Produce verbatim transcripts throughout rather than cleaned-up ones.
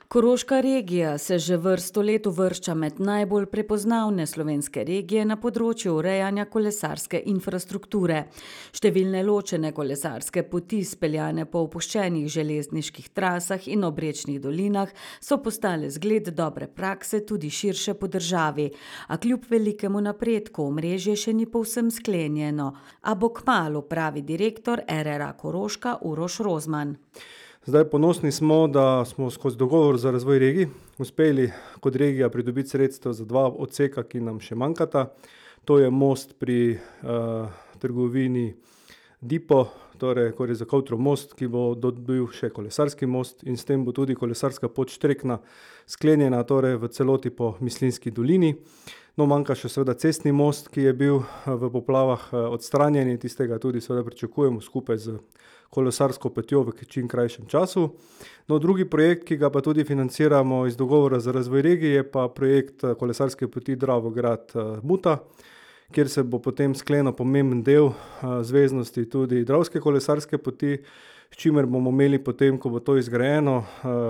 Koroška regija se že vrsto let uvršča med najbolj prepoznavne slovenske regije na področju urejanja kolesarske infrastrukture. Številne ločene kolesarske poti, speljane po opuščenih železniških trasah in obrečnih dolinah, so postale zgled dobre prakse tudi širše po državi. A kljub velikemu napredku omrežje še ni povsem sklenjeno. A bo kmalu, pravi direktor R R A Koroška Uroš Rozman. Zdaj, ponosni smo, da smo skozi dogovor za razvoj regij uspeli kot regija pridobiti sredstev za dva odseka, ki nam še manjkata. To je most pri uh, trgovini Dipo, torej Korje-Zakotrev most, ki bo dobil še kolesarski most in s tem bo tudi kolesarska pot Štrekna sklenjena, torej v celoti po Mislinjski dolini. No, manjka še seveda cestni most, ki je bil v poplavah odstranjen in tistega tudi seveda pričakujemo skupaj z kolesarsko potjo v čim krajšem času. No, drugi projekt, ki ga pa tudi financiramo iz dogovora za razvoj regije, je pa projekt kolesarske poti Dravograd-Muta, kjer se bo potem sklenil pomemben del zveznosti tudi Dravske kolesarske poti, s čimer bomo imeli potem, ko bo to izgrajeno,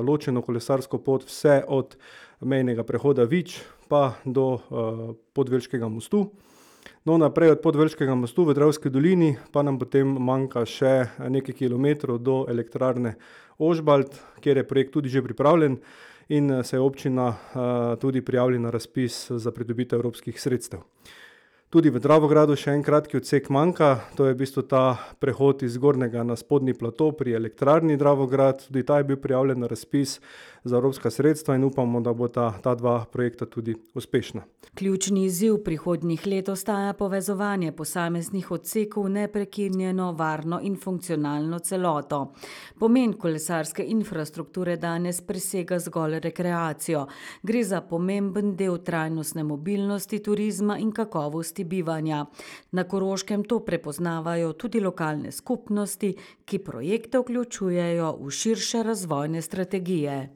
ločeno kolesarsko pot vse od mejnega prehoda Vič pa do Podvelškega mostu. No, naprej od Podvelškega mostu v Dravski dolini pa nam potem manjka še nekaj kilometrov do elektrarne Ožbalt, kjer je projekt tudi že pripravljen in se je občina tudi prijavila na razpis za pridobitev evropskih sredstev. Tudi v Dravogradu še en kratki odsek manjka, to je v bistvu ta prehod iz zgornjega na spodnji plato pri elektrarni Dravograd, tudi ta je bil prijavljen na razpis za evropska sredstva in upamo, da bo ta, ta dva projekta tudi uspešna. Ključni izziv prihodnjih let ostaja povezovanje posameznih odsekov neprekinjeno, varno in funkcionalno celoto. Pomen kolesarske infrastrukture danes presega zgolj rekreacijo. Gre za pomemben del trajnostne mobilnosti, turizma in kakovosti bivanja. Na Koroškem to prepoznavajo tudi lokalne skupnosti, ki projekte vključujejo v širše razvojne strategije.